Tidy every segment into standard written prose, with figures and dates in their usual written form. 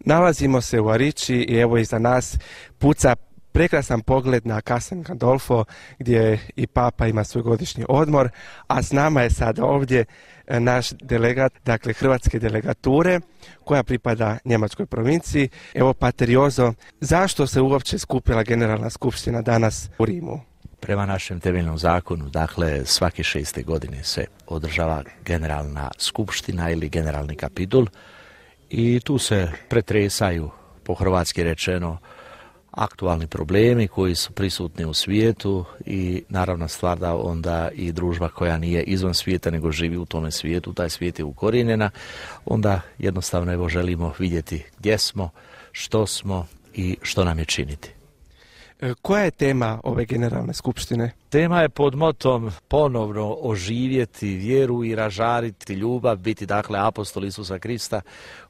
Nalazimo se u Arići i evo iza nas puca prekrasan pogled na Castel Gandolfo gdje i Papa ima svoj godišnji odmor, a s nama je sad ovdje naš delegat, dakle hrvatske delegature koja pripada njemačkoj provinciji. Evo Pater Jozo, zašto se uopće skupila Generalna skupština danas u Rimu? Prema našem temeljnom zakonu, dakle svake 6. godine se održava Generalna skupština ili Generalni kapitul i tu se pretresaju, po hrvatski rečeno, aktualni problemi koji su prisutni u svijetu i naravna stvar da onda i družba koja nije izvan svijeta nego živi u tome svijetu, taj svijet je ukorijenjena, onda jednostavno evo želimo vidjeti gdje smo, što smo i što nam je činiti. Koja je tema ove Generalne skupštine? Tema je pod motom ponovno oživjeti vjeru i ražariti ljubav, biti dakle apostol Isusa Krista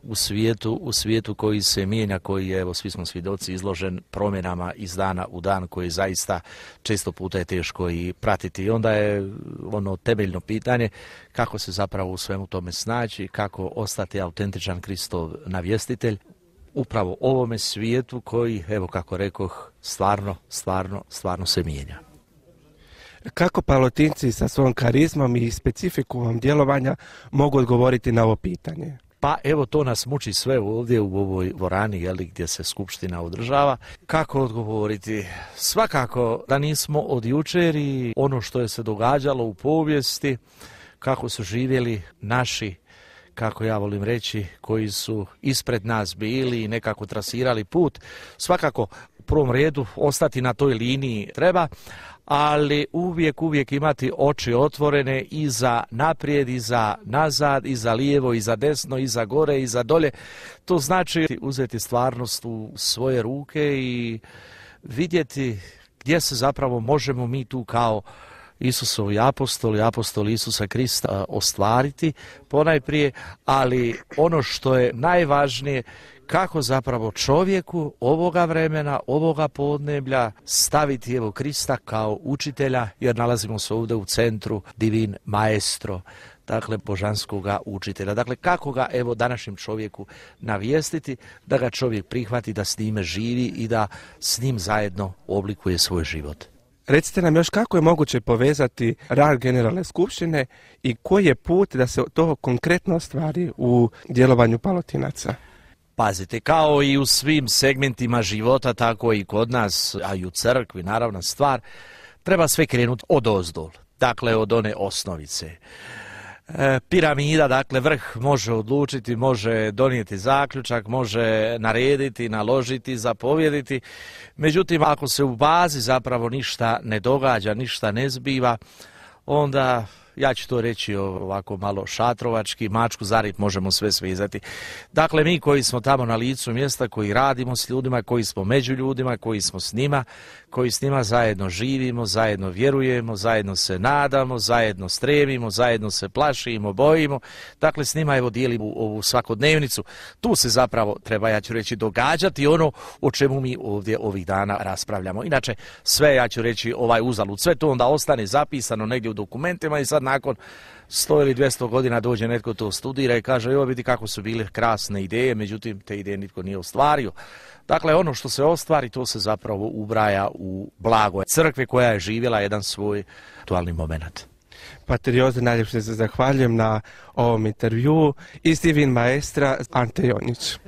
u svijetu koji se mijenja, koji je, evo svi smo svjedoci, izložen promjenama iz dana u dan, koji zaista često puta je teško i pratiti. I onda je ono temeljno pitanje kako se zapravo u svemu tome snaći, kako ostati autentičan Kristov navjestitelj upravo ovome svijetu koji, evo kako rekoh, stvarno se mijenja. Kako Palotinci sa svojom karizmom i specifikumom djelovanja mogu odgovoriti na ovo pitanje? Pa evo to nas muči sve ovdje u ovoj dvorani gdje se skupština održava. Kako odgovoriti? Svakako da nismo od jučer i ono što je se događalo u povijesti, kako su živjeli naši, kako ja volim reći, koji su ispred nas bili i nekako trasirali put. Svakako u prvom redu ostati na toj liniji treba, ali uvijek imati oči otvorene i za naprijed, i za nazad, i za lijevo, i za desno, i za gore, i za dolje. To znači uzeti stvarnost u svoje ruke i vidjeti gdje se zapravo možemo mi tu kao Isusovi apostoli Isusa Krista ostvariti ponajprije, ali ono što je najvažnije, kako zapravo čovjeku ovoga vremena, ovoga podneblja staviti evo Krista kao učitelja, jer nalazimo se ovdje u centru Divin Maestro, dakle božanskoga učitelja. Dakle, kako ga evo današnjem čovjeku navijestiti, da ga čovjek prihvati, da s njime živi i da s njim zajedno oblikuje svoj život. Recite nam još kako je moguće povezati rad Generalne skupštine i koji je put da se to konkretno ostvari u djelovanju Palotinaca? Pazite, kao i u svim segmentima života, tako i kod nas, a i u crkvi, naravna stvar, treba sve krenuti odozdol, dakle od one osnovice. Piramida, dakle vrh može odlučiti, može donijeti zaključak, može narediti, naložiti, zapovjediti. Međutim, ako se u bazi zapravo ništa ne događa, ništa ne zbiva, onda, ja ću to reći ovako malo šatrovački, mačku za rep možemo sve svezati. Dakle, mi koji smo tamo na licu mjesta, koji radimo s ljudima, koji smo među ljudima, koji smo s njima, koji s njima zajedno živimo, zajedno vjerujemo, zajedno se nadamo, zajedno stremimo, zajedno se plašimo, bojimo. Dakle, s njima evo dijelimo ovu svakodnevnicu. Tu se zapravo treba, ja ću reći, događati ono o čemu mi ovdje ovih dana raspravljamo. Inače, sve, ja ću reći, uzalud, sve to onda ostane zapisano negdje u dokumentima i sad nakon 100 ili 200 godina dođe netko to studira i kaže, evo vidi kako su bile krasne ideje, međutim te ideje nitko nije ostvario. Dakle, ono što se ostvari, to se zapravo ubraja u blago crkve koja je živjela jedan svoj aktualni moment. Pater Jozo, najljepše se zahvaljujem na ovom intervjuu. Iz Divin Maestra, Ante Jonjić.